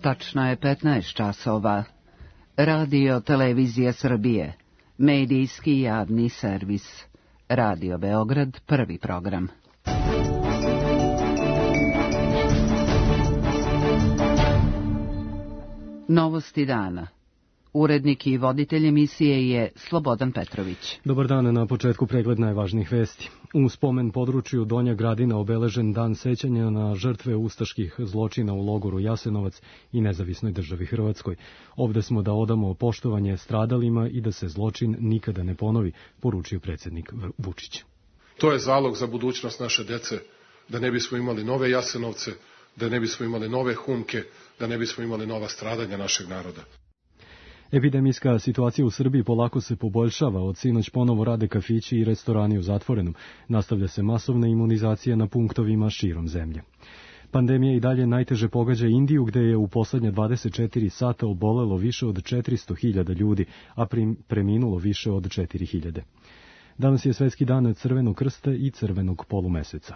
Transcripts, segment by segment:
Tačno je 15 časova. Radio Televizija Srbije. Medijski javni servis. Radio Beograd, prvi program. Novosti dana. Urednik i voditelj emisije je Slobodan Petrović. Dobar dan, na početku pregled najvažnijih vesti. U spomen području Donja Gradina obeležen dan sećanja na žrtve ustaških zločina u logoru Jasenovac i nezavisnoj državi Hrvatskoj. Ovde smo da odamo poštovanje stradalima i da se zločin nikada ne ponovi, poručio predsjednik Vučić. To je zalog za budućnost naše dece, da ne bismo imali nove Jasenovce, da ne bismo imali nove Humke, da ne bismo imali nova stradanja našeg naroda. Epidemijska situacija u Srbiji polako se poboljšava, od sinoć ponovo rade kafići i restorani u zatvorenom. Nastavlja se masovna imunizacija na punktovima širom zemlje. Pandemija i dalje najteže pogađa Indiju, gde je u poslednje 24 sata obolelo više od 400.000 ljudi, a preminulo više od 4.000. Danas je Svetski dan Crvenog krsta i Crvenog polumeseca.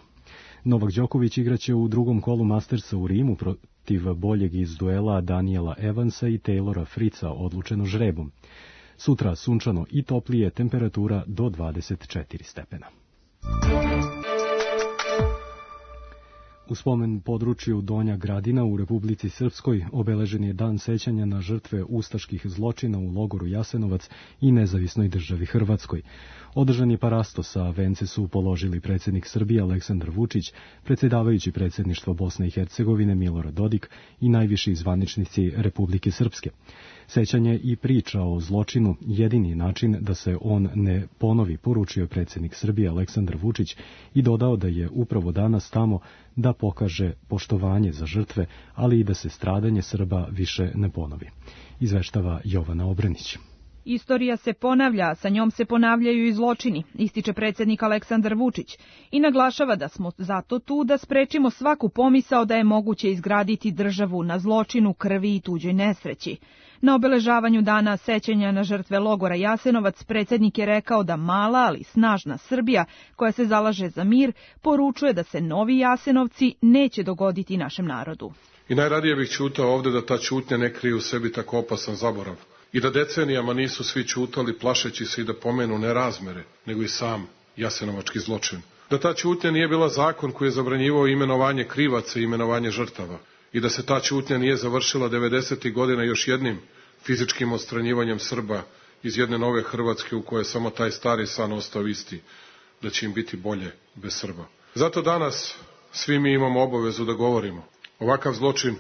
Novak Đoković igraće u drugom kolu Mastersa u Rimu protiv boljeg iz duela Daniela Evansa i Taylora Fritza, odlučeno žrebom. Sutra sunčano i toplije, temperatura do 24 stepena. U spomen području Donja Gradina u Republici Srpskoj obeležen je dan sećanja na žrtve ustaških zločina u logoru Jasenovac i nezavisnoj državi Hrvatskoj. Održan je parastos, a vence su položili predsjednik Srbije Aleksandar Vučić, predsjedavajući predsjedništva Bosne i Hercegovine Milorad Dodik i najviši zvaničnici Republike Srpske. Sećanje i priča o zločinu jedini način da se on ne ponovi, poručio predsjednik Srbije Aleksandar Vučić i dodao da je upravo danas tamo da pokaže poštovanje za žrtve, ali i da se stradanje Srba više ne ponovi. Izveštava Jovana Obranić. Istorija se ponavlja, a sa njom se ponavljaju i zločini, ističe predsjednik Aleksandar Vučić i naglašava da smo zato tu da sprečimo svaku pomisao da je moguće izgraditi državu na zločinu, krvi i tuđoj nesreći. Na obeležavanju dana sećanja na žrtve logora Jasenovac predsjednik je rekao da mala, ali snažna Srbija, koja se zalaže za mir, poručuje da se novi Jasenovci neće dogoditi našem narodu. I najradije bih ćutao ovde da ta ćutnja ne krije u sebi tako opasan zaborav. I da decenijama nisu svi ćutali plašeći se i da pomenu ne razmere, nego i sam jasenovački zločin. Da ta ćutnja nije bila zakon koji je zabranjivao imenovanje krivaca i imenovanje žrtava. I da se ta ćutnja nije završila 90. godina još jednim fizičkim odstranjivanjem Srba iz jedne nove Hrvatske u kojoj je samo taj stari san ostao isti, da će im biti bolje bez Srba. Zato danas svi mi imamo obavezu da govorimo. Ovakav zločin,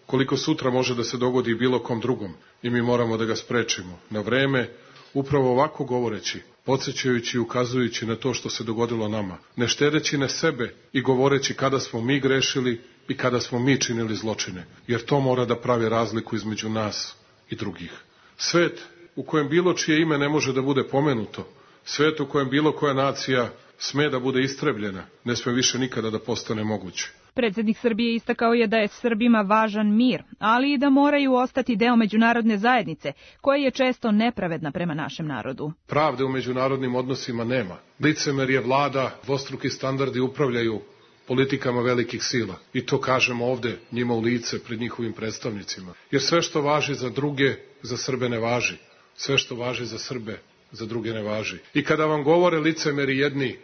koliko sutra može da se dogodi bilo kom drugom, i mi moramo da ga sprečimo na vreme, upravo ovako govoreći, podsjećajući i ukazujući na to što se dogodilo nama, ne štedeći na sebe i govoreći kada smo mi grešili i kada smo mi činili zločine, jer to mora da pravi razliku između nas i drugih. Svet u kojem bilo čije ime ne može da bude pomenuto, svet u kojem bilo koja nacija sme da bude istrebljena, ne sme više nikada da postane moguće. Predsjednik Srbije istakao je da je Srbima važan mir, ali i da moraju ostati deo međunarodne zajednice, koja je često nepravedna prema našem narodu. Pravde u međunarodnim odnosima nema. Licemerje vlada, dvostruki standardi upravljaju politikama velikih sila. I to kažemo ovde njima u lice pred njihovim predstavnicima. Jer sve što važi za druge, za Srbe ne važi. Sve što važi za Srbe, za druge ne važi. I kada vam govore licemeri jedni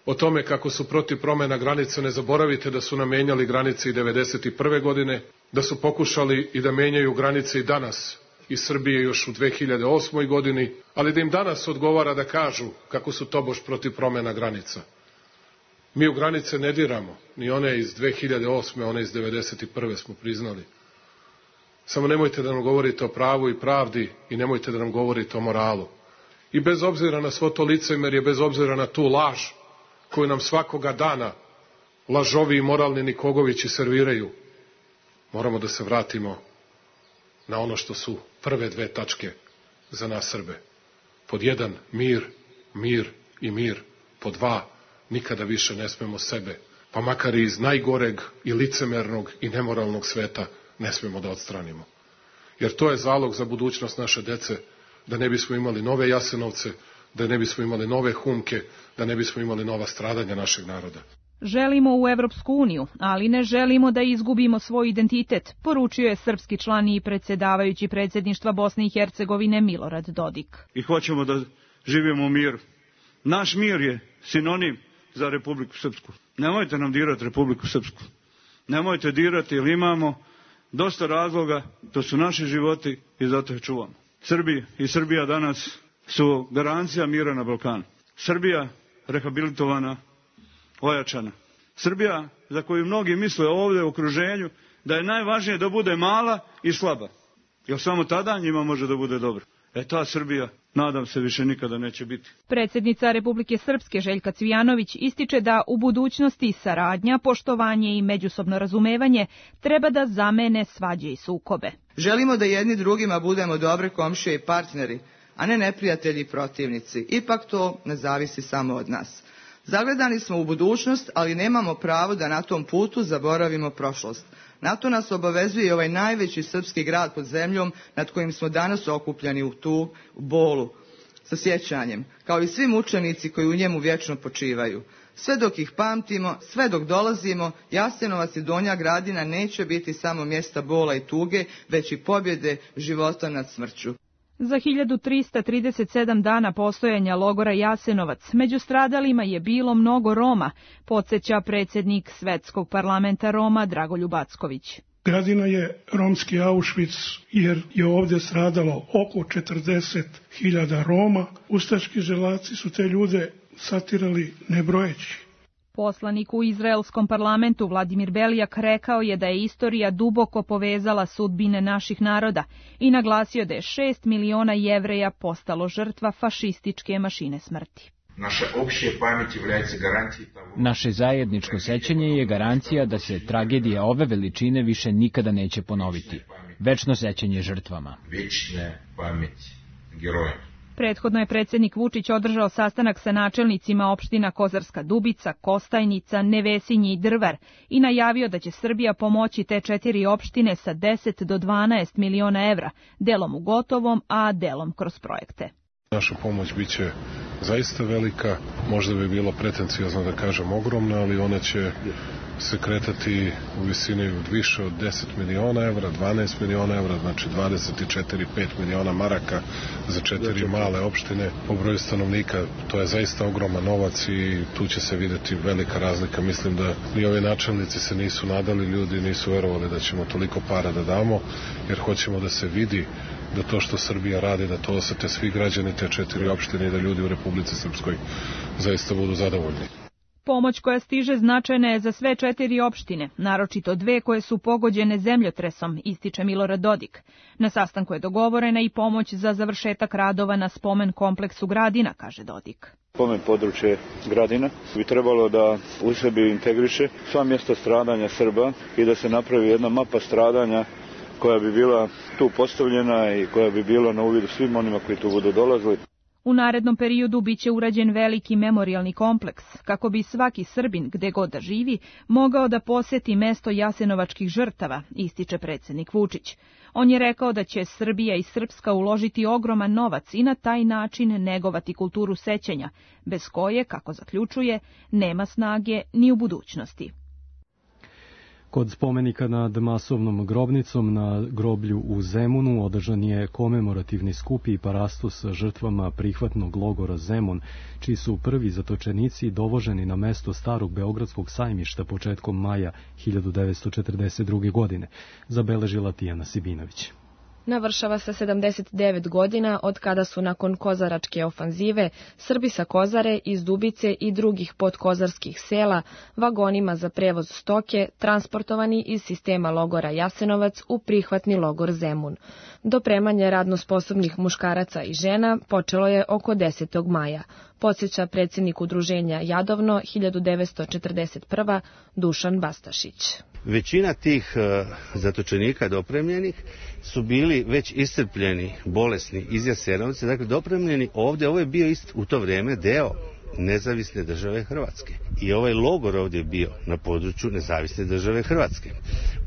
o tome kako su protiv promena granica, ne zaboravite da su nam menjali granice i 1991. godine, da su pokušali i da menjaju granice i danas iz Srbije još u 2008. godini, ali da im danas odgovara da kažu kako su tobož protiv promena granica. Mi u granice ne diramo, ni one iz 2008. one iz 1991. smo priznali. Samo nemojte da nam govorite o pravu i pravdi i nemojte da nam govorite o moralu. I bez obzira na svo to licemerje, bez obzira na tu laž koju nam svakoga dana lažovi i moralni Nikogovići serviraju, moramo da se vratimo na ono što su prve dve tačke za nas Srbe. Pod 1, mir, mir i mir. Pod 2, nikada više ne smemo sebe, pa makar i iz najgoreg i licemernog i nemoralnog sveta, ne smemo da odstranimo. Jer to je zalog za budućnost naše dece, da ne bismo imali nove Jasenovce, da ne bismo imali nove Humke, da ne bismo imali nova stradanja našeg naroda. Želimo u Evropsku uniju, ali ne želimo da izgubimo svoj identitet, poručio je srpski član i predsjedavajući predsjedništva Bosne i Hercegovine Milorad Dodik. I hoćemo da živimo u miru. Naš mir je sinonim za Republiku Srpsku. Nemojte nam dirati Republiku Srpsku. Nemojte dirati jer imamo dosta razloga, to su naši životi i zato je čuvamo. Srbi i Srbija danas su garancija mira na Balkanu. Srbija rehabilitovana, ojačana. Srbija za koju mnogi misle ovdje u okruženju da je najvažnije da bude mala i slaba. Jer samo tada njima može da bude dobro. Ta Srbija, nadam se, više nikada neće biti. Predsjednica Republike Srpske Željka Cvijanović ističe da u budućnosti saradnja, poštovanje i međusobno razumevanje treba da zamene svađe i sukobe. Želimo da jedni drugima budemo dobre komšije i partneri, a ne neprijatelji i protivnici. Ipak to ne zavisi samo od nas. Zagledani smo u budućnost, ali nemamo pravo da na tom putu zaboravimo prošlost. Na to nas obavezuje i ovaj najveći srpski grad pod zemljom nad kojim smo danas okupljeni u tu bolu sa sjećanjem, kao i svi mučenici koji u njemu vječno počivaju. Sve dok ih pamtimo, sve dok dolazimo, Jasenovac i Donja Gradina neće biti samo mjesta bola i tuge, već i pobjede života nad smrću. Za 1337 dana postojanja logora Jasenovac među stradalima je bilo mnogo Roma, podsjeća predsjednik Svetskog parlamenta Roma Dragoljub Acković. Gradina je romski Auschwitz jer je ovdje stradalo oko 40.000 Roma. Ustaški želaci su te ljude satirali nebrojeći. Poslanik u izraelskom parlamentu Vladimir Belijak rekao je da je istorija duboko povezala sudbine naših naroda i naglasio da je 6 miliona Jevreja postalo žrtva fašističke mašine smrti. Naše zajedničko sećanje je garancija da se tragedija ove veličine više nikada neće ponoviti. Večno sećanje žrtvama. Prethodno je predsjednik Vučić održao sastanak sa načelnicima opština Kozarska Dubica, Kostajnica, Nevesinje i Drvar i najavio da će Srbija pomoći te 4 opštine sa 10 do 12 miliona evra, delom u gotovom, a delom kroz projekte. Naša pomoć biće zaista velika, možda bi bilo pretenciozno da kažem ogromna, ali ona će se kretati u visini od više od 10 miliona evra, 12 miliona evra, znači 24-5 miliona maraka za 4 male opštine. Po broju stanovnika to je zaista ogroman novac i tu će se vidjeti velika razlika. Mislim da ni ovi načelnici se nisu nadali, ljudi nisu verovali da ćemo toliko para da damo, jer hoćemo da se vidi da to što Srbija radi, da to osete svi građani te 4 opštine i da ljudi u Republici Srpskoj zaista budu zadovoljni. Pomoć koja stiže značajna je za sve 4 opštine, naročito 2 koje su pogođene zemljotresom, ističe Milorad Dodik. Na sastanku je dogovorena i pomoć za završetak radova na spomen kompleksu Gradina, kaže Dodik. Spomen područje Gradina bi trebalo da u sebi integriše sva mjesta stradanja Srba i da se napravi jedna mapa stradanja koja bi bila tu postavljena i koja bi bila na uvidu svim onima koji tu budu dolazili. U narednom periodu biće urađen veliki memorijalni kompleks, kako bi svaki Srbin, gde god da živi, mogao da posjeti mesto jasenovačkih žrtava, ističe predsjednik Vučić. On je rekao da će Srbija i Srpska uložiti ogroman novac i na taj način negovati kulturu sećanja, bez koje, kako zaključuje, nema snage ni u budućnosti. Kod spomenika nad masovnom grobnicom na groblju u Zemunu održan je komemorativni skup i parastos sa žrtvama prihvatnog logora Zemun, čiji su prvi zatočenici dovoženi na mesto starog Beogradskog sajmišta početkom maja 1942. godine, zabeležila Tijana Sibinović. Navršava se 79 godina od kada su nakon kozaračke ofanzive Srbi sa Kozare, iz Dubice i drugih podkozarskih sela vagonima za prevoz stoke transportovani iz sistema logora Jasenovac u prihvatni logor Zemun. Dopremanje radno sposobnih muškaraca i žena počelo je oko 10. maja, podsjeća predsjednik udruženja Jadovno 1941. Dušan Bastašić. Većina tih zatočenika dopremljenih su bili već iscrpljeni, bolesni iz Jasenovca, dakle dopremljeni ovdje. Ovo je bio u to vrijeme deo Nezavisne države Hrvatske. I ovaj logor ovdje je bio na području Nezavisne države Hrvatske.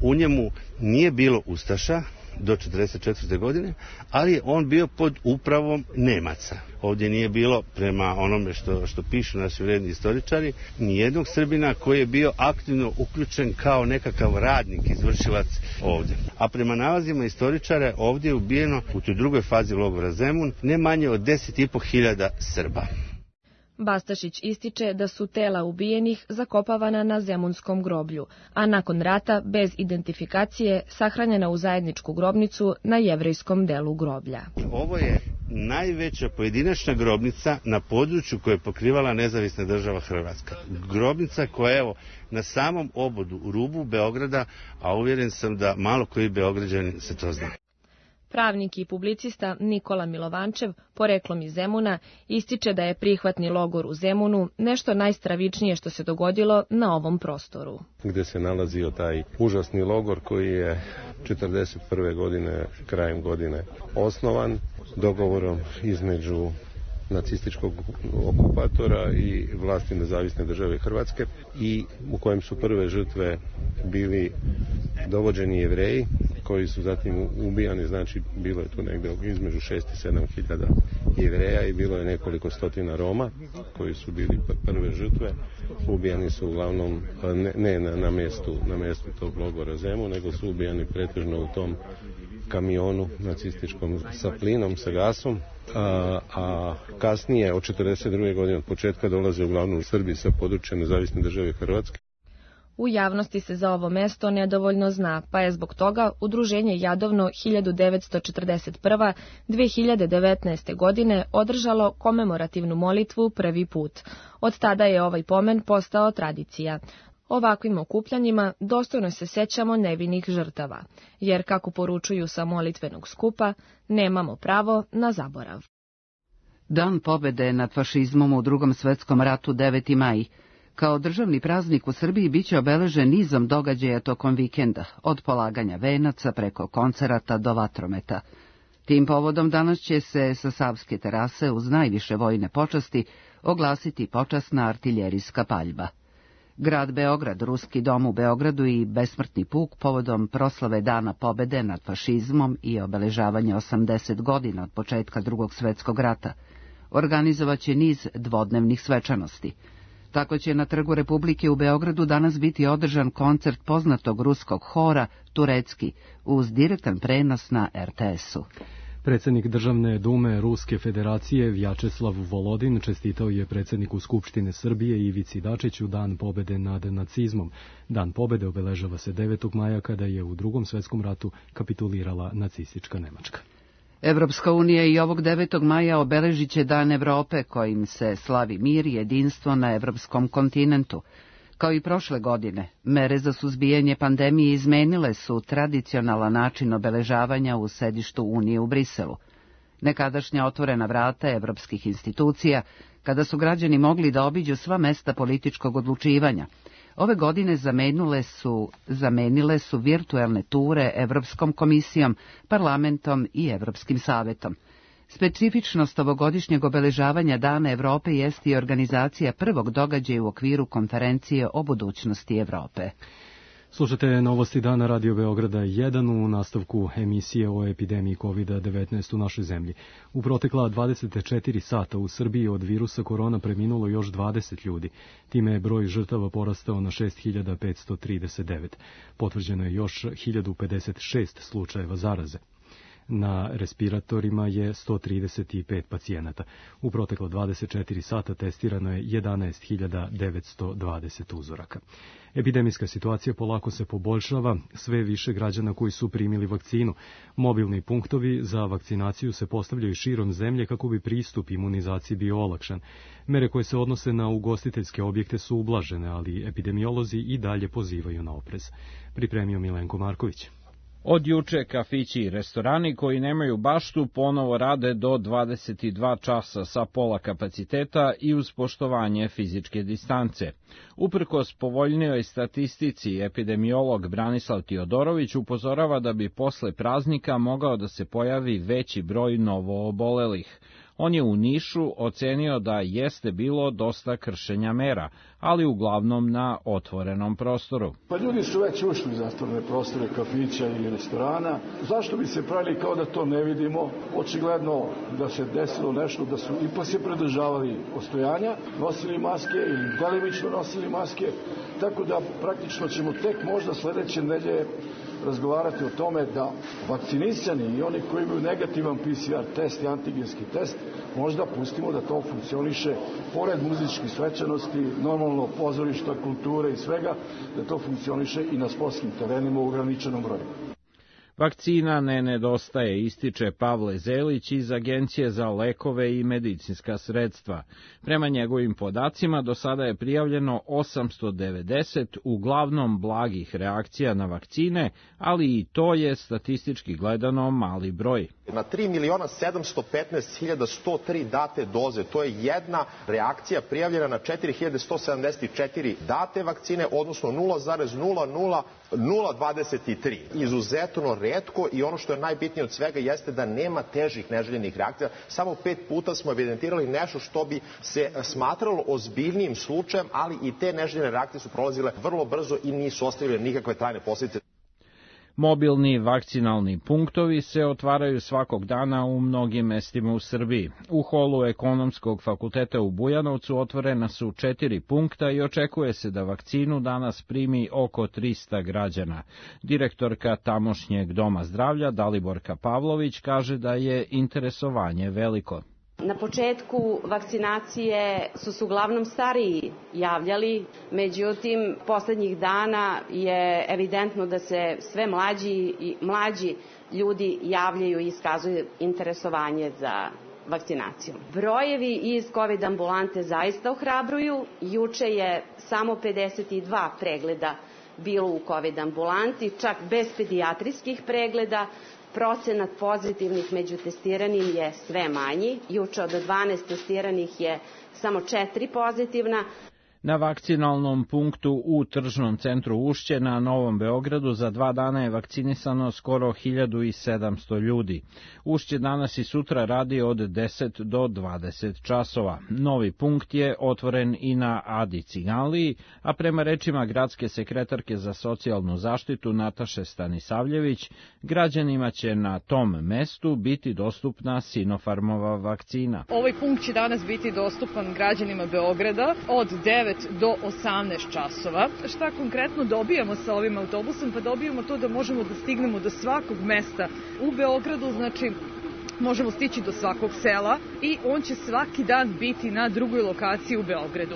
U njemu nije bilo ustaša, do 1944. godine, ali je on bio pod upravom Nemaca. Ovdje nije bilo, prema onome što pišu naši vredni istoričari, nijednog Srbina koji je bio aktivno uključen kao nekakav radnik, izvršilac ovdje. A prema nalazima istoričara ovdje je ubijeno u toj drugoj fazi logora Zemun ne manje od 10.500 Srba. Bastašić ističe da su tela ubijenih zakopavana na Zemunskom groblju, a nakon rata bez identifikacije sahranjena u zajedničku grobnicu na jevrejskom delu groblja. Ovo je najveća pojedinačna grobnica na području koje je pokrivala nezavisna država Hrvatska. Grobnica koja je na samom obodu u rubu Beograda, a uvjeren sam da malo koji Beograđani se to zna. Pravnik i publicista Nikola Milovančev, poreklom iz Zemuna, ističe da je prihvatni logor u Zemunu nešto najstravičnije što se dogodilo na ovom prostoru. Gdje se nalazio taj užasni logor koji je 1941. godine, krajem godine osnovan, dogovorom između nacističkog okupatora i vlasti nezavisne države Hrvatske i u kojem su prve žrtve bili dovođeni Jevreji koji su zatim ubijani, znači bilo je tu negdje između 6 i 7 hiljada Jevreja i bilo je nekoliko stotina Roma koji su bili prve žrtve. Ubijani su uglavnom ne na mjestu tog logora Zemun, nego su ubijani pretežno u tom kamionu nacističkom sa plinom, sa gasom, a kasnije od 1942. godine od početka dolaze uglavnom u Srbiji sa područja nezavisne države Hrvatske. U javnosti se za ovo mesto nedovoljno zna, pa je zbog toga Udruženje Jadovno 1941-2019. godine održalo komemorativnu molitvu prvi put. Od tada je ovaj pomen postao tradicija. Ovakvim okupljanjima dostojno se sećamo nevinih žrtava, jer kako poručuju sa molitvenog skupa, nemamo pravo na zaborav. Dan pobede nad fašizmom u Drugom svetskom ratu 9. maj. Kao državni praznik u Srbiji biće obeležen nizom događaja tokom vikenda, od polaganja venaca preko koncerata do vatrometa. Tim povodom danas će se sa Savske terase uz najviše vojne počasti oglasiti počasna artiljerijska paljba. Grad Beograd, Ruski dom u Beogradu i besmrtni puk povodom proslave Dana pobede nad fašizmom i obeležavanja 80 godina od početka Drugog svjetskog rata organizovaće niz dvodnevnih svečanosti. Tako će na Trgu Republike u Beogradu danas biti održan koncert poznatog ruskog hora Turecki uz direktan prenos na RTS-u. Predsjednik Državne dume Ruske federacije Vjačeslav Volodin čestitao je predsjedniku Skupštine Srbije Ivici Dačiću Dan pobede nad nacizmom. Dan pobede obeležava se 9. maja kada je u Drugom svjetskom ratu kapitulirala nacistička Nemačka. Evropska unija i ovog 9. maja obeležit će Dan Evrope kojim se slavi mir i jedinstvo na evropskom kontinentu. Kao i prošle godine, mere za suzbijanje pandemije izmenile su tradicionalan način obeležavanja u sedištu Unije u Briselu. Nekadašnja otvorena vrata evropskih institucija, kada su građani mogli da obiđu sva mesta političkog odlučivanja, ove godine zamenile su virtuelne ture Evropskom komisijom, parlamentom i Evropskim savetom. Specifičnost ovogodišnjeg obeležavanja Dana Evrope jest i organizacija prvog događaja u okviru konferencije o budućnosti Evrope. Slušate novosti dana Radio Beograda 1 u nastavku emisije o epidemiji COVID-19 u našoj zemlji. U protekla 24 sata u Srbiji od virusa korona preminulo još 20 ljudi. Time je broj žrtava porastao na 6539. Potvrđeno je još 1056 slučajeva zaraze. Na respiratorima je 135 pacijenata. U proteklo 24 sata testirano je 11.920 uzoraka. Epidemijska situacija polako se poboljšava, sve više građana koji su primili vakcinu. Mobilni punktovi za vakcinaciju se postavljaju širom zemlje kako bi pristup imunizaciji bio olakšan. Mere koje se odnose na ugostiteljske objekte su ublažene, ali epidemiolozi i dalje pozivaju na oprez. Pripremio Milenko Marković. Od juče kafići i restorani koji nemaju baštu ponovo rade do 22 časa sa pola kapaciteta i uz poštovanje fizičke distance. Uprkos povoljnijoj statistici, epidemiolog Branislav Tiodorović upozorava da bi posle praznika mogao da se pojavi veći broj novoobolelih. On je u Nišu ocenio da jeste bilo dosta kršenja mera, ali uglavnom na otvorenom prostoru. Pa ljudi su već ušli u zatvorene prostore kafića i restorana. Zašto bi se pravili kao da to ne vidimo? Očigledno da se desilo nešto, da su ipak se pridržavali ostojanja, nosili maske ili delimično nosili maske, tako da praktično ćemo tek možda sledeće nedelje razgovarati o tome da vakcinisani i oni koji imaju negativan PCR test i antigenski test, možda pustimo da to funkcioniše pored muzičkih svečanosti, normalno pozorišta, kulture i svega, da to funkcioniše i na sportskim terenima u ograničenom broju. Vakcina ne nedostaje, ističe Pavle Zelić iz Agencije za lekove i medicinska sredstva. Prema njegovim podacima do sada je prijavljeno 890 uglavnom blagih reakcija na vakcine, ali i to je statistički gledano mali broj. Na 3.715.103 date doze, to je jedna reakcija prijavljena na 4.174 date vakcine, odnosno 0,00023. Izuzetno retko i ono što je najbitnije od svega jeste da nema težih neželjenih reakcija. Samo 5 puta smo evidentirali nešto što bi se smatralo ozbiljnijim slučajem, ali i te neželjene reakcije su prolazile vrlo brzo i nisu ostavile nikakve trajne posljedice. Mobilni vakcinalni punktovi se otvaraju svakog dana u mnogim mestima u Srbiji. U holu Ekonomskog fakulteta u Bujanovcu otvorena su 4 punkta i očekuje se da vakcinu danas primi oko 300 građana. Direktorka tamošnjeg doma zdravlja Daliborka Pavlović kaže da je interesovanje veliko. Na početku vakcinacije su se uglavnom stariji javljali, međutim, poslednjih dana je evidentno da se sve mlađi ljudi javljaju i iskazuju interesovanje za vakcinaciju. Brojevi iz COVID ambulante zaista ohrabruju. Juče je samo 52 pregleda bilo u COVID ambulanti, čak bez pedijatrijskih pregleda. Procenat pozitivnih među testiranim je sve manji. Juče od 12 testiranih je samo 4 pozitivna. Na vakcinalnom punktu u tržnom centru Ušće na Novom Beogradu za 2 dana je vakcinisano skoro 1700 ljudi. Ušće danas i sutra radi od 10 do 20 časova. Novi punkt je otvoren i na Adi Ciganliji, a prema rečima gradske sekretarke za socijalnu zaštitu Nataše Stanisavljević, građanima će na tom mestu biti dostupna Sinopharmova vakcina. Ovaj punkt će danas biti dostupan građanima Beograda od 9 do 18 časova. Šta konkretno dobijamo sa ovim autobusom? Pa dobijamo to da možemo da stignemo do svakog mesta u Beogradu, znači možemo stići do svakog sela i on će svaki dan biti na drugoj lokaciji u Beogradu.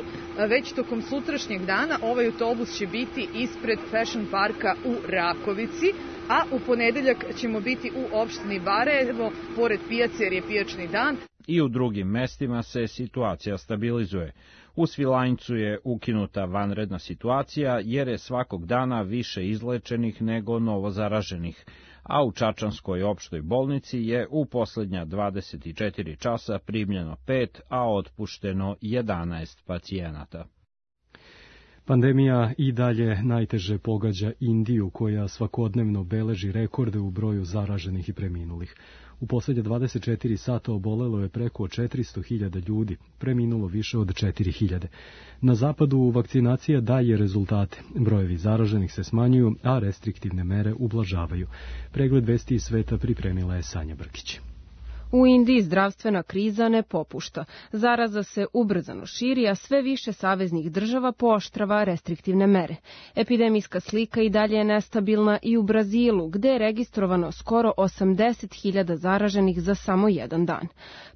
Već tokom sutrašnjeg dana ovaj autobus će biti ispred Fashion parka u Rakovici, a u ponedeljak ćemo biti u opštini Barajevo, pored pijace jer je pijačni dan. I u drugim mestima se situacija stabilizuje. U Svilajncu je ukinuta vanredna situacija jer je svakog dana više izlečenih nego novozaraženih, a u Čačanskoj opštoj bolnici je u poslednja 24 časa primljeno 5, a otpušteno 11 pacijenata. Pandemija i dalje najteže pogađa Indiju, koja svakodnevno beleži rekorde u broju zaraženih i preminulih. U poslednje 24 sata obolelo je preko 400.000 ljudi, preminulo više od 4.000. Na zapadu vakcinacija daje rezultate. Brojevi zaraženih se smanjuju, a restriktivne mere ublažavaju. Pregled vesti iz sveta pripremila je Sanja Brkić. U Indiji zdravstvena kriza ne popušta. Zaraza se ubrzano širi, a sve više saveznih država pooštrava restriktivne mere. Epidemijska slika i dalje je nestabilna i u Brazilu, gde je registrovano skoro 80.000 zaraženih za samo jedan dan.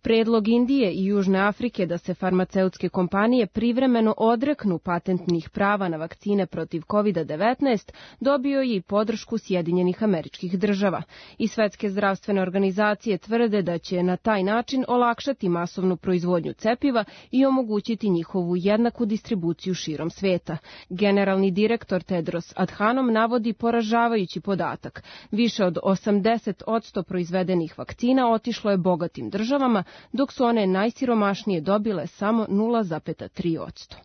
Predlog Indije i Južne Afrike da se farmaceutske kompanije privremeno odreknu patentnih prava na vakcine protiv COVID-19 dobio je i podršku Sjedinjenih Američkih Država. I Svetske zdravstvene organizacije tvrde da će na taj način olakšati masovnu proizvodnju cepiva i omogućiti njihovu jednaku distribuciju širom sveta. Generalni direktor Tedros Adhanom navodi poražavajući podatak. Više od 80% proizvedenih vakcina otišlo je bogatim državama, dok su one najsiromašnije dobile samo 0,3%.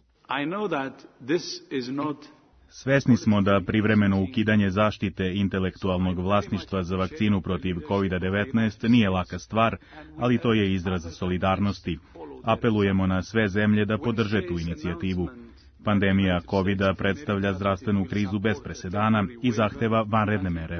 Svesni smo da privremeno ukidanje zaštite intelektualnog vlasništva za vakcinu protiv COVID-19 nije laka stvar, ali to je izraz solidarnosti. Apelujemo na sve zemlje da podrže tu inicijativu. Pandemija COVID-a predstavlja zdravstvenu krizu bez presedana i zahteva vanredne mere.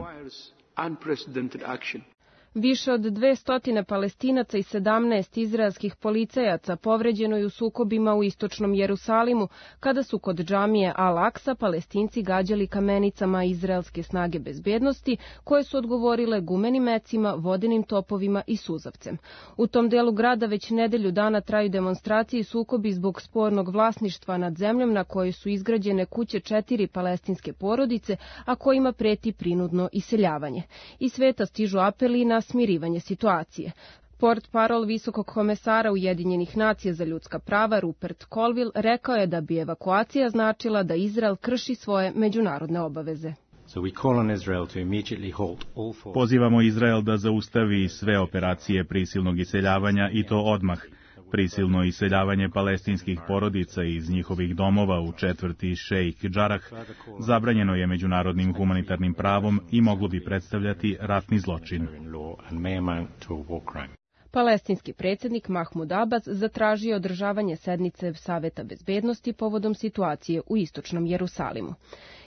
Više od 200 Palestinaca i 17 izraelskih policajaca povređeno je u sukobima u istočnom Jerusalimu, kada su kod džamije Al-Aksa Palestinci gađali kamenicama izraelske snage bezbednosti, koje su odgovorile gumenim mecima, vodenim topovima i suzavcem. U tom delu grada već nedelju dana traju demonstracije i sukobi zbog spornog vlasništva nad zemljom na kojoj su izgrađene kuće 4 palestinske porodice, a kojima preti prinudno iseljavanje. Iz sveta stižu apeli na smirivanje situacije. Portparol visokog komesara Ujedinjenih nacija za ljudska prava Rupert Colville rekao je da bi evakuacija značila da Izrael krši svoje međunarodne obaveze. Pozivamo Izrael da zaustavi sve operacije prisilnog iseljavanja i to odmah. Prisilno iseljavanje palestinskih porodica iz njihovih domova u četvrti Šejh Džarah zabranjeno je međunarodnim humanitarnim pravom i moglo bi predstavljati ratni zločin. Palestinski predsjednik Mahmud Abbas zatražio održavanje sednice Saveta bezbednosti povodom situacije u istočnom Jerusalimu.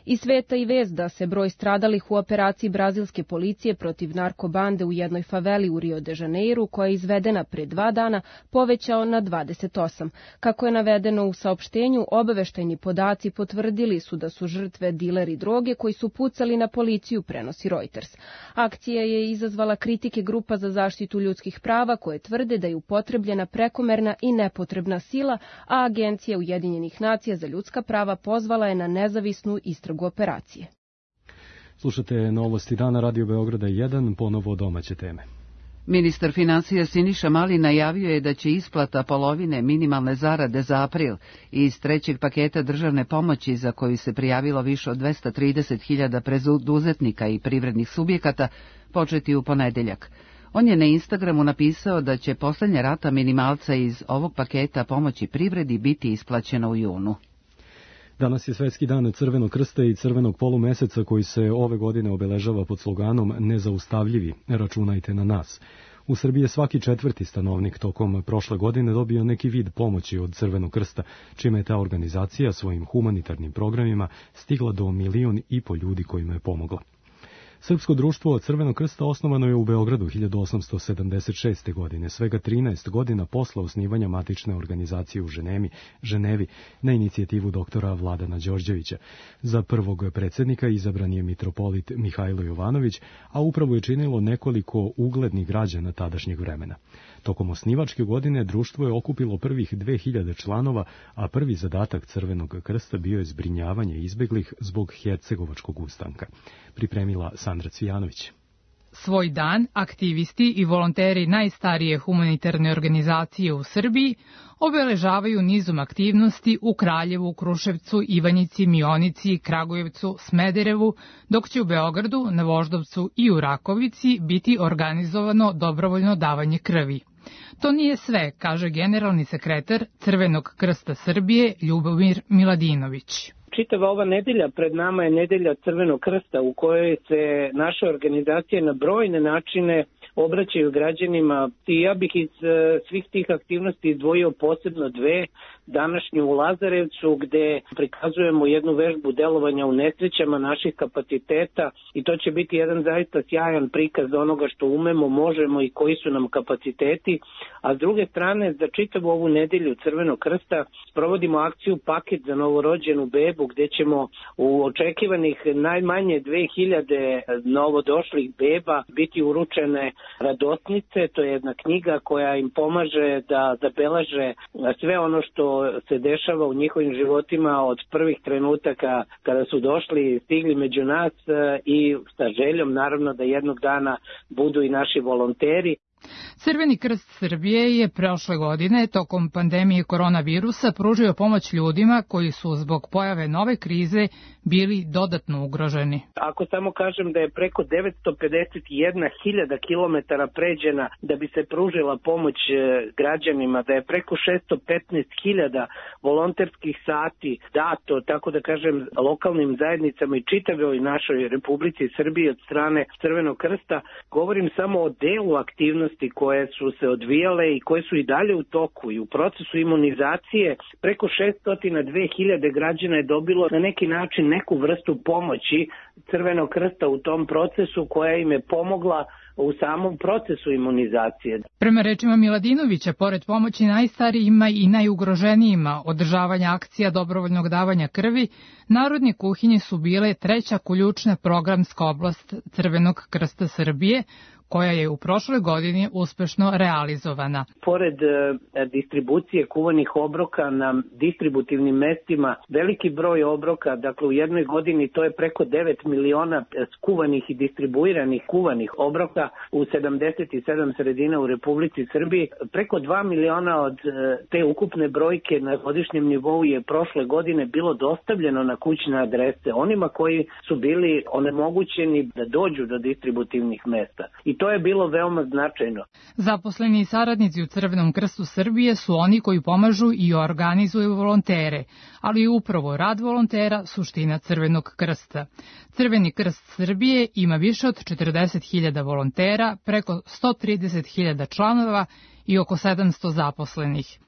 Iz sveta i vest da se broj stradalih u operaciji brazilske policije protiv narkobande u jednoj faveli u Rio de Janeiru, koja je izvedena pre 2 dana, povećao na 28. Kako je navedeno u saopštenju, obaveštajni podaci potvrdili su da su žrtve dileri droge koji su pucali na policiju, prenosi Reuters. Akcija je izazvala kritike grupa za zaštitu ljudskih prava koje tvrde da je upotrebljena prekomerna i nepotrebna sila, a Agencija Ujedinjenih nacija za ljudska prava pozvala je na nezavisnu istragu operacije. Slušate Novosti dana, Radio Beograda 1, ponovo domaće teme. Ministar finansija Siniša Mali najavio je da će isplata polovine minimalne zarade za april iz trećeg paketa državne pomoći, za koju se prijavilo više od 230.000 preduzetnika i privrednih subjekata, početi u ponedeljak. On je na Instagramu napisao da će posljednja rata minimalca iz ovog paketa pomoći privredi biti isplaćena u junu. Danas je Svetski dan Crvenog krsta i Crvenog polumeseca, koji se ove godine obeležava pod sloganom Nezaustavljivi, računajte na nas. U Srbiji je svaki 4. stanovnik tokom prošle godine dobio neki vid pomoći od Crvenog krsta, čime je ta organizacija svojim humanitarnim programima stigla do 1,5 miliona ljudi kojima je pomogla. Srpsko društvo Crvenog krsta osnovano je u Beogradu 1876. godine, svega 13 godina posle osnivanja matične organizacije u Ženevi na inicijativu doktora Vladana Đorđevića. Za prvog predsjednika izabran je mitropolit Mihajlo Jovanović, a upravo je činilo nekoliko uglednih građana tadašnjeg vremena. Tokom osnivačke godine društvo je okupilo prvih 2000 članova, a prvi zadatak Crvenog krsta bio je zbrinjavanje izbeglih zbog Hercegovačkog ustanka. Pripremila Sandra Cvijanović. Svoj dan aktivisti i volonteri najstarije humanitarne organizacije u Srbiji obeležavaju nizom aktivnosti u Kraljevu, Kruševcu, Ivanjici, Mionici, Kragujevcu, Smederevu, dok će u Beogradu, na Voždovcu i u Rakovici biti organizovano dobrovoljno davanje krvi. To nije sve, kaže generalni sekretar Crvenog krsta Srbije Ljubomir Miladinović. Čitava ova nedelja pred nama je nedelja Crvenog krsta, u kojoj se naše organizacije na brojne načine obraćaju građanima. I ja bih iz svih tih aktivnosti izdvojio posebno 2. Današnju u Lazarevcu, gde prikazujemo jednu vežbu delovanja u nesrećama naših kapaciteta, i to će biti jedan zaista sjajan prikaz onoga što umemo, možemo i koji su nam kapaciteti. A s druge strane, za čitavu ovu nedelju Crvenog krsta sprovodimo akciju Paket za novorođenu bebu, gde ćemo u očekivanih najmanje 2000 novodošlih beba biti uručene radosnice. To je jedna knjiga koja im pomaže da zabeleže sve ono što se dešava u njihovim životima od prvih trenutaka kada su došli, stigli među nas, i sa željom naravno da jednog dana budu i naši volonteri. Crveni krst Srbije je prošle godine tokom pandemije koronavirusa pružio pomoć ljudima koji su zbog pojave nove krize bili dodatno ugroženi. Ako samo kažem da je preko 951.000 kilometara pređena da bi se pružila pomoć građanima, da je preko 615.000 volonterskih sati dato, tako da kažem, lokalnim zajednicama i čitavoj našoj Republici Srbiji od strane Crvenog krsta, govorim samo o delu aktivnosti aktivnosti koje su se odvijale i koje su i dalje u toku i u procesu imunizacije. Preko 602.000 građana je dobilo na neki način neku vrstu pomoći Crvenog krsta u tom procesu koja im je pomogla u samom procesu imunizacije. Prema rečima Miladinovića, pored pomoći najstarijima i najugroženijima održavanja akcija dobrovoljnog davanja krvi, narodne kuhinje su bile treća ključna programska oblast Crvenog krsta Srbije, koja je u prošloj godini uspešno realizovana. Pored distribucije kuvanih obroka na distributivnim mestima, veliki broj obroka, dakle u jednoj godini to je preko 9 miliona skuvanih i distribuiranih kuvanih obroka u 77 sredina u Republici Srbiji. Preko 2 miliona od te ukupne brojke na godišnjem nivou je prošle godine bilo dostavljeno na kućne adrese onima koji su bili onemogućeni da dođu do distributivnih mesta. I to je bilo veoma značajno. Zaposleni i saradnici u Crvenom krstu Srbije su oni koji pomažu i organizuju volontere, ali i upravo rad volontera suština Crvenog krsta. Crveni krst Srbije ima više od 40.000 volontera, preko 130.000 članova i oko 700 zaposlenih.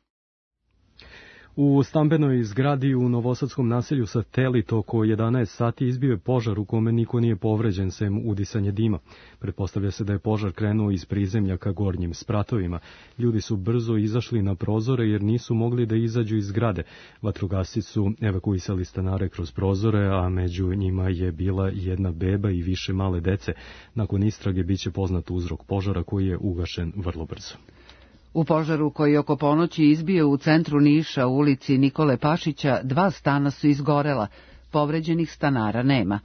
U stambenoj zgradi u novosadskom naselju Satelit oko 11 sati izbio je požar u kome niko nije povređen sem udisanje dima. Pretpostavlja se da je požar krenuo iz prizemlja ka gornjim spratovima. Ljudi su brzo izašli na prozore jer nisu mogli da izađu iz zgrade. Vatrogasci su evakuisali stanare kroz prozore, a među njima je bila jedna beba i više male dece. Nakon istrage biće poznat uzrok požara koji je ugašen vrlo brzo. U požaru koji oko ponoći izbio u centru Niša u ulici Nikole Pašića 2 stana su izgorela, povređenih stanara nema.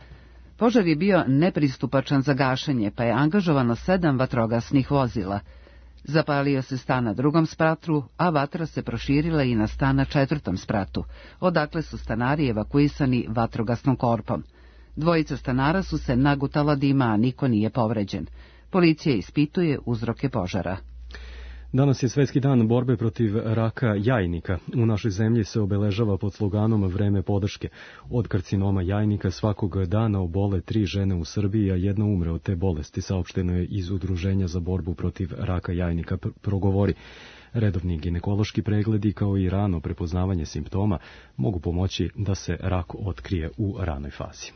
Požar je bio nepristupačan za gašenje, pa je angažovano 7 vatrogasnih vozila. Zapalio se stan na 2. spratu, a vatra se proširila i na stan na 4. spratu, odakle su stanari evakuisani vatrogasnom korpom. 2 stanara su se nagutala dima, a niko nije povređen. Policija ispituje uzroke požara. Danas je Svetski dan borbe protiv raka jajnika. U našoj zemlji se obeležava pod sloganom Vreme podrške. Od karcinoma jajnika svakog dana obole 3 žene u Srbiji, a 1 umre od te bolesti, saopšteno je iz Udruženja za borbu protiv raka jajnika progovori. Redovni ginekološki pregledi kao i rano prepoznavanje simptoma mogu pomoći da se rak otkrije u ranoj fazi.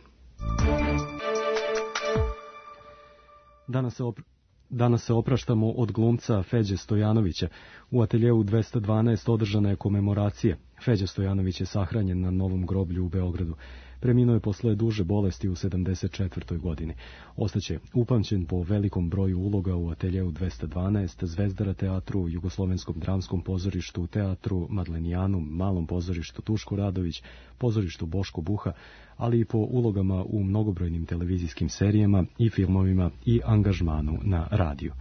Danas se opraštamo od glumca Feđe Stojanovića. U ateljeu 212 održana je komemoracija. Feđa Stojanović je sahranjen na Novom groblju u Beogradu. Preminuo je posle duže bolesti u 74. godini. Ostaće upamćen po velikom broju uloga u ateljeu 212, Zvezdara teatru, Jugoslovenskom dramskom pozorištu, teatru Madlenijanu, Malom pozorištu Tuško Radović, pozorištu Boško Buha, ali i po ulogama u mnogobrojnim televizijskim serijama i filmovima i angažmanu na radiju.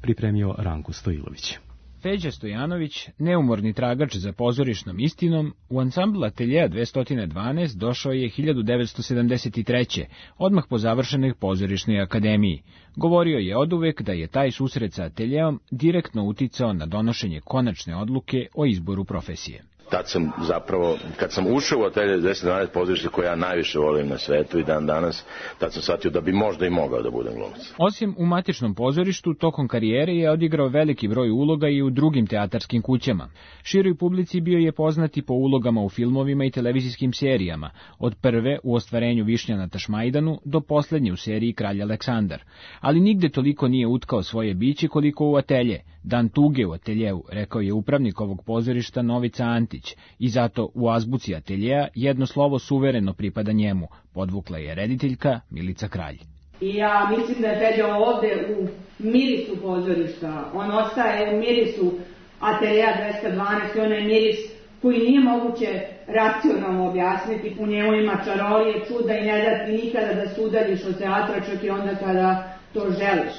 Pripremio Ranko Stojilović. Feđa Stojanović, neumorni tragač za pozorišnom istinom, u ansambl Ateljeja 212 došao je 1973. odmah po završenoj pozorišnoj akademiji. Govorio je oduvek da je taj susret sa ateljeom direktno uticao na donošenje konačne odluke o izboru profesije. Tad sam zapravo, kad sam ušao u Atelje 212 pozorište koje ja najviše volim na svetu i dan danas, tad sam shvatio da bi možda i mogao da budem glumac. Osim u matičnom pozorištu, tokom karijere je odigrao veliki broj uloga i u drugim teatarskim kućama. Široj publici bio je poznati po ulogama u filmovima i televizijskim serijama, od prve u ostvarenju Višnja na Tašmajdanu do poslednje u seriji Kralj Aleksandar. Ali nigde toliko nije utkao svoje biće koliko u Atelje. Dan tuge u Ateljeu, rekao je upravnik ovog pozorišta Novica Antić, i zato u azbuci Ateljeja jedno slovo suvereno pripada njemu, podvukla je rediteljka Milica Kralj. I ja mislim da je Feđa ovde u mirisu pozorišta, on ostaje u mirisu Ateljeja 212, onaj miris koji nije moguće racionalno objasniti, u njemu ima čarolije, čuda i ne da ti nikada da se udaljiš od teatra, čak i onda kada to želiš.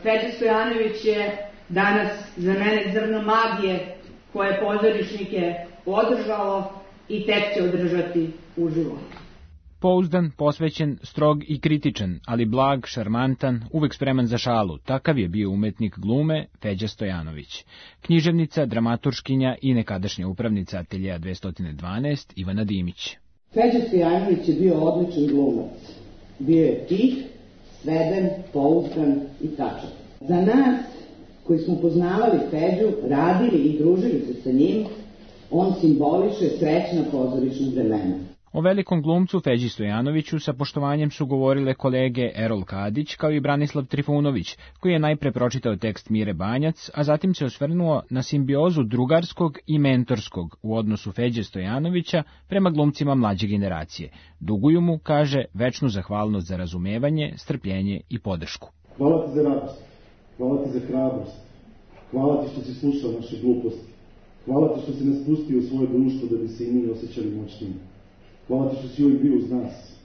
Feđa Stojanović je danas za mene zrno magije koje pozorišnike održalo i tek će održati u životu. Pouzdan, posvećen, strog i kritičan, ali blag, šarmantan, uvek spreman za šalu, takav je bio umetnik glume Feđa Stojanović. Književnica, dramaturškinja i nekadašnja upravnica Ateljeja 212 Ivana Dimić. Feđa Stojanović je bio odličan glumac. Bio je tih, sveden, pouzdan i tačan. Za nas koji smo poznavali Feđu, radili i družili se sa njim, on simboliše srećna pozorišna vremena. O velikom glumcu Feđi Stojanoviću sa poštovanjem su govorile kolege Erol Kadić kao i Branislav Trifunović, koji je najpre pročitao tekst Mire Banjac, a zatim se osvrnuo na simbiozu drugarskog i mentorskog u odnosu Feđe Stojanovića prema glumcima mlađe generacije. Duguju mu, kaže, večnu zahvalnost za razumevanje, strpljenje i podršku. Hvala ti za radost, hvala ti za hrabrost, hvala ti što si slušao naše gluposti, hvala ti što si nas pustio u svoje društvo da bi se i mi osjećali moćniji. Hvala ti što si uvijek bio uz nas.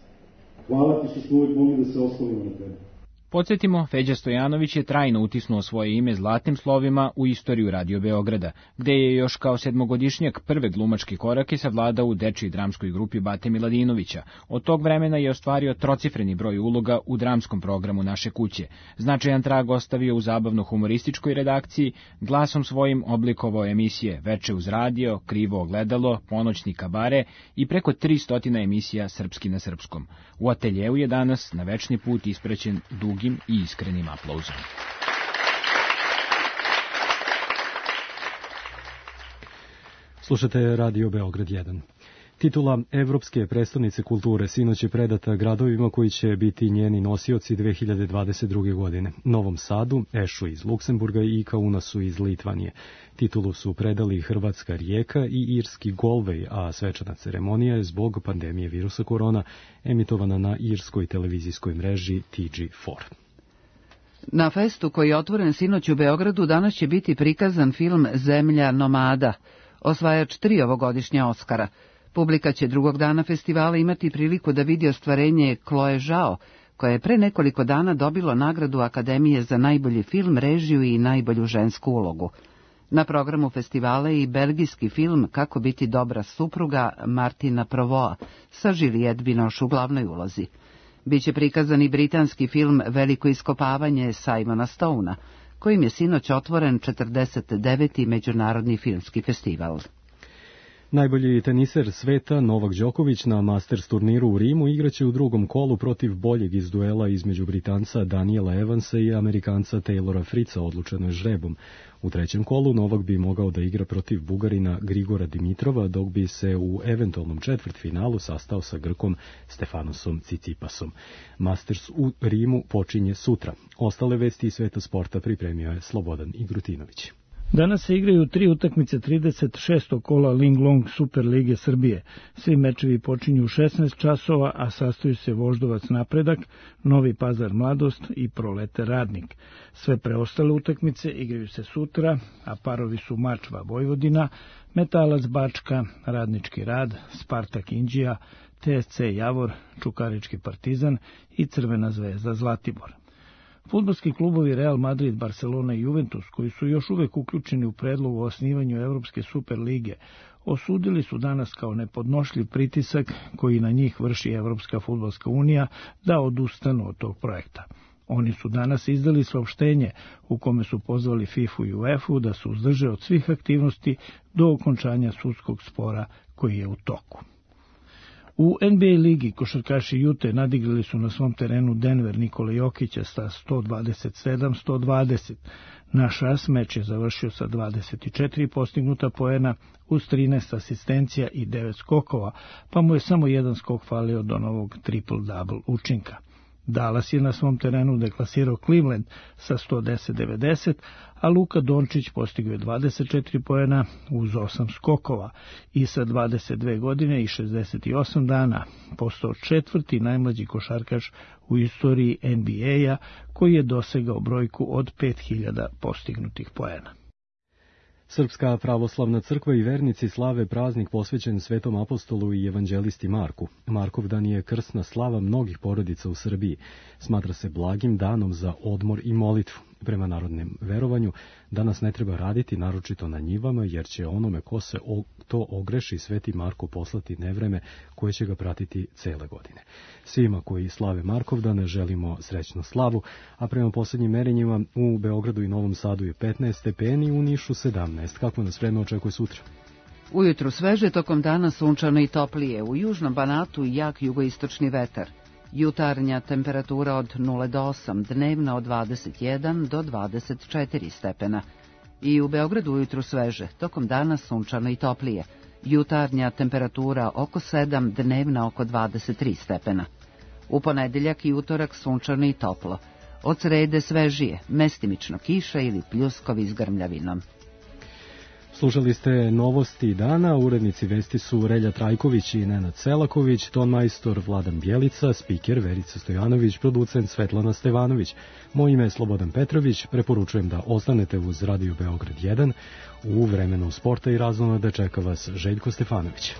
Hvala ti što smo uvijek mogli da se oslonimo na tebe. Podsjetimo, Feđa Stojanović je trajno utisnuo svoje ime zlatnim slovima u istoriju Radio Beograda, gde je još kao sedmogodišnjak prve glumačke korake savladao u dečiji dramskoj grupi Bate Miladinovića. Od tog vremena je ostvario trocifreni broj uloga u dramskom programu Naše kuće. Značajan trag ostavio u zabavno-humorističkoj redakciji, glasom svojim oblikovao emisije Veče uz radio, Krivo ogledalo, Ponoćni kabare i preko 300 emisija Srpski na srpskom. U ateljeu je danas na večni put ispraćen dugim i iskrenim aplauzom. Slušate Radio Beograd 1. Titula Evropske prestonice kulture sinoć je predata gradovima koji će biti njeni nosioci 2022. godine. Novom Sadu, Ešu iz Luksemburga i Kaunasu iz Litvanije. Titulu su predali hrvatska Rijeka i irski Galway, a svečana ceremonija je zbog pandemije virusa korona emitovana na irskoj televizijskoj mreži TG4. Na festu koji je otvoren sinoć u Beogradu danas će biti prikazan film Zemlja nomada, osvajač 3 ovogodišnja Oskara. Publika će drugog dana festivala imati priliku da vidi ostvarenje Chloe Zhao, koje je pre nekoliko dana dobilo nagradu Akademije za najbolji film, režiju i najbolju žensku ulogu. Na programu festivala je i belgijski film Kako biti dobra supruga Martina Provoa sa Juliette Binoche u glavnoj ulozi. Biće prikazan i britanski film Veliko iskopavanje Simona Stouna, kojim je sinoć otvoren 49. Međunarodni filmski festival. Najbolji teniser sveta Novak Đoković na Masters turniru u Rimu igraće u drugom kolu protiv boljeg iz duela između Britanca Daniela Evansa i Amerikanca Taylora Fritza, odlučeno je žrebom. U trećem kolu Novak bi mogao da igra protiv Bugarina Grigora Dimitrova, dok bi se u eventualnom četvrtfinalu sastao sa Grkom Stefanosom Cicipasom. Masters u Rimu počinje sutra. Ostale vesti iz sveta sporta pripremio je Slobodan Igrutinović. Danas se igraju 3 utakmice 36. kola Linglong Super Lige Srbije. Svi mečevi počinju u 16 časova, a sastoju se Voždovac Napredak, Novi Pazar Mladost i Prolete Radnik. Sve preostale utakmice igraju se sutra, a parovi su Mačva Vojvodina, Metalac Bačka, Radnički Rad, Spartak Inđija, TSC Javor, Čukarički Partizan i Crvena zvezda Zlatibor. Fudbalski klubovi Real Madrid, Barcelona i Juventus, koji su još uvek uključeni u predlog o osnivanju Evropske Super lige, osudili su danas kao nepodnošljiv pritisak koji na njih vrši Evropska fudbalska unija da odustanu od tog projekta. Oni su danas izdali saopštenje u kome su pozvali FIFA i UEFA da se uzdrže od svih aktivnosti do okončanja sudskog spora koji je u toku. U NBA ligi košarkaši Jute nadigrali su na svom terenu Denver Nikola Jokića sa 127-120. Naš as meč je završio sa 24 postignuta poena uz 13 asistencija i 9 skokova, pa mu je samo jedan skok falio do novog triple-double učinka. Dallas je na svom terenu deklasirao Cleveland sa 110-90, a Luka Dončić postigao je 24 poena uz 8 skokova i sa 22 godine i 68 dana postao 4. najmlađi košarkaš u istoriji NBA-a koji je dosegao brojku od 5000 postignutih poena. Srpska pravoslavna crkva i vernici slave praznik posvećen Svetom apostolu i evanđelisti Marku. Markov dan je krsna slava mnogih porodica u Srbiji. Smatra se blagim danom za odmor i molitvu. Prema narodnom verovanju, danas ne treba raditi, naročito na njivama, jer će onome ko se to ogreši Sveti Marko poslati nevreme koje će ga pratiti cele godine. Svima koji slave Markovdane želimo srećnu slavu, a prema posljednjim merenjima u Beogradu i Novom Sadu je 15 stepeni, u Nišu 17. Kako nas vreme očekuje sutra? Ujutru sveže, tokom dana sunčano i toplije, u južnom Banatu jak jugoistočni vetar. Jutarnja temperatura od 0 do 8, dnevna od 21 do 24 stepena. I u Beogradu ujutru sveže, tokom dana sunčano i toplije. Jutarnja temperatura oko 7, dnevna oko 23 stepena. U ponedeljak i utorak sunčano i toplo. Od srede svežije, mestimično kiša ili pljuskovi s grmljavinom. Slušali ste novosti dana, urednici vesti su Relja Trajković i Nenad Selaković, tonmajstor Vladan Bjelica, spiker Verica Stojanović, producent Svetlana Stevanović. Moje ime je Slobodan Petrović, preporučujem da ostanete uz Radio Beograd 1. U vremenu sporta i razonode čeka vas Željko Stefanović.